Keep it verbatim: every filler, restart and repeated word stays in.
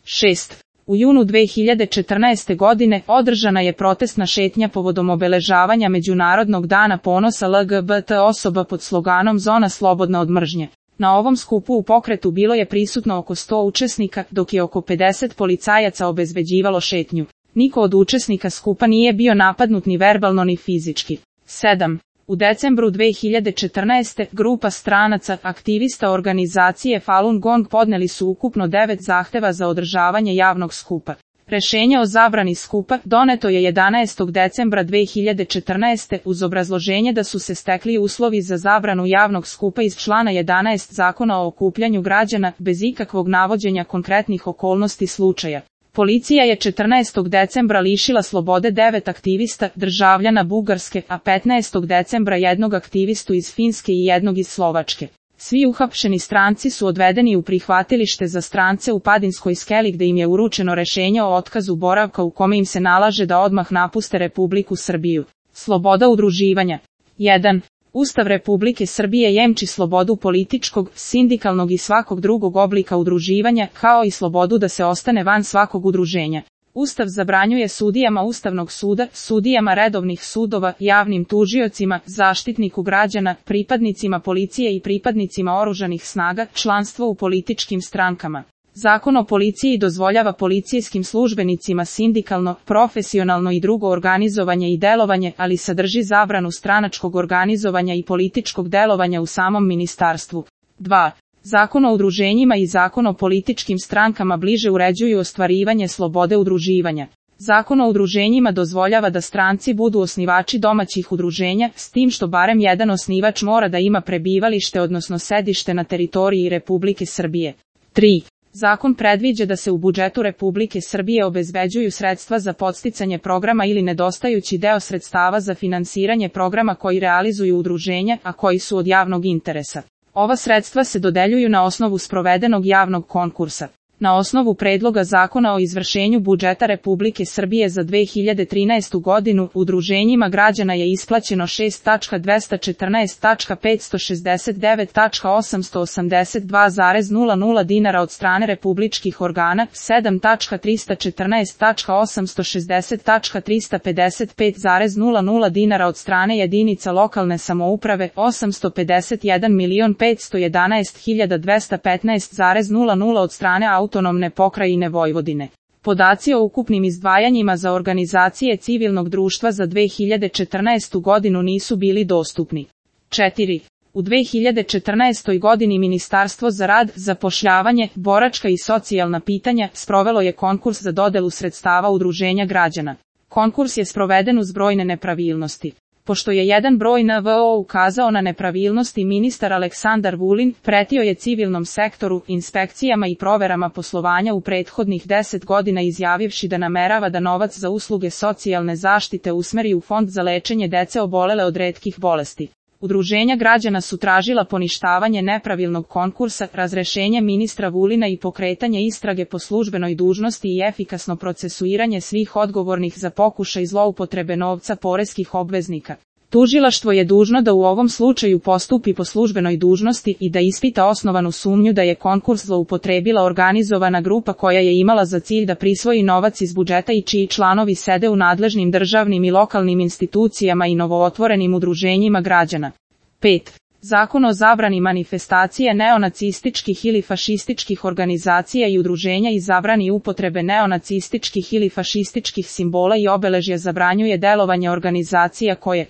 šest. U junu dve hiljade četrnaeste. godine održana je protestna šetnja povodom obeležavanja Međunarodnog dana ponosa L G B T osoba pod sloganom Zona slobodna od mržnje. Na ovom skupu u pokretu bilo je prisutno oko sto učesnika, dok je oko pedeset policajaca obezbeđivalo šetnju. Niko od učesnika skupa nije bio napadnut ni verbalno ni fizički. sedam. U decembru dve hiljade četrnaeste. grupa stranaca, aktivista organizacije Falun Gong podneli su ukupno devet zahteva za održavanje javnog skupa. Rešenje o zabrani skupa doneto je jedanaestog decembra dve hiljade četrnaeste. uz obrazloženje da su se stekli uslovi za zabranu javnog skupa iz člana jedanaest Zakona o okupljanju građana, bez ikakvog navođenja konkretnih okolnosti slučaja. Policija je četrnaestog decembra lišila slobode devet aktivista, državljana Bugarske, a petnaestog decembra jednog aktivistu iz Finske i jednog iz Slovačke. Svi uhapšeni stranci su odvedeni u prihvatilište za strance u Padinskoj skeli gde im je uručeno rešenje o otkazu boravka u kome im se nalaže da odmah napuste Republiku Srbiju. Sloboda udruživanja. jedan. Ustav Republike Srbije jemči slobodu političkog, sindikalnog i svakog drugog oblika udruživanja, kao i slobodu da se ostane van svakog udruženja. Ustav zabranjuje sudijama Ustavnog suda, sudijama redovnih sudova, javnim tužiocima, zaštitniku građana, pripadnicima policije i pripadnicima oružanih snaga, članstvo u političkim strankama. Zakon o policiji dozvoljava policijskim službenicima sindikalno, profesionalno i drugo organizovanje i delovanje, ali sadrži zabranu stranačkog organizovanja i političkog delovanja u samom ministarstvu. dva. Zakon o udruženjima i Zakon o političkim strankama bliže uređuju ostvarivanje slobode udruživanja. Zakon o udruženjima dozvoljava da stranci budu osnivači domaćih udruženja, s tim što barem jedan osnivač mora da ima prebivalište odnosno sedište na teritoriji Republike Srbije. tri. Zakon predviđa da se u budžetu Republike Srbije obezbeđuju sredstva za podsticanje programa ili nedostajući deo sredstava za finansiranje programa koji realizuju udruženja, a koji su od javnog interesa. Ova sredstva se dodeljuju na osnovu sprovedenog javnog konkursa. Na osnovu predloga zakona o izvršenju budžeta Republike Srbije za dve hiljade trinaestu. godinu, udruženjima građana je isplaćeno šest hiljada dvesta četrnaest hiljada petsto šezdeset devet zarez osamsto osamdeset dva zarez nula nula dinara od strane republičkih organa, sedam hiljada trista četrnaest hiljada osamsto šezdeset zarez trista pedeset pet zarez nula nula dinara od strane jedinica lokalne samouprave, osamsto pedeset jedan milion petsto jedanaest hiljada dvesta petnaest zarez nula nula od strane autonomne pokrajine Vojvodine. Podaci o ukupnim izdvajanjima za organizacije civilnog društva za dve hiljade četrnaestu. godinu nisu bili dostupni. četiri. U dve hiljade četrnaestoj. godini Ministarstvo za rad, zapošljavanje, boračka i socijalna pitanja sprovelo je konkurs za dodelu sredstava udruženja građana. Konkurs je sproveden uz brojne nepravilnosti. Pošto je jedan broj N V O ukazao na nepravilnosti, ministar Aleksandar Vulin pretio je civilnom sektoru, inspekcijama i proverama poslovanja u prethodnih deset godina izjavivši da namerava da novac za usluge socijalne zaštite usmeri u fond za lečenje dece obolele od retkih bolesti. Udruženja građana su tražila poništavanje nepravilnog konkursa, razrešenje ministra Vulina i pokretanje istrage po službenoj dužnosti i efikasno procesuiranje svih odgovornih za pokušaj zloupotrebe novca poreskih obveznika. Tužilaštvo je dužno da u ovom slučaju postupi po službenoj dužnosti i da ispita osnovanu sumnju da je konkurs zloupotrebila organizovana grupa koja je imala za cilj da prisvoji novac iz budžeta i čiji članovi sede u nadležnim državnim i lokalnim institucijama i novootvorenim udruženjima građana. pet. Zakon o zabrani manifestacije neonacističkih ili fašističkih organizacija i udruženja i zabrani upotrebe neonacističkih ili fašističkih simbola i obeležja zabranjuje delovanje organizacija koje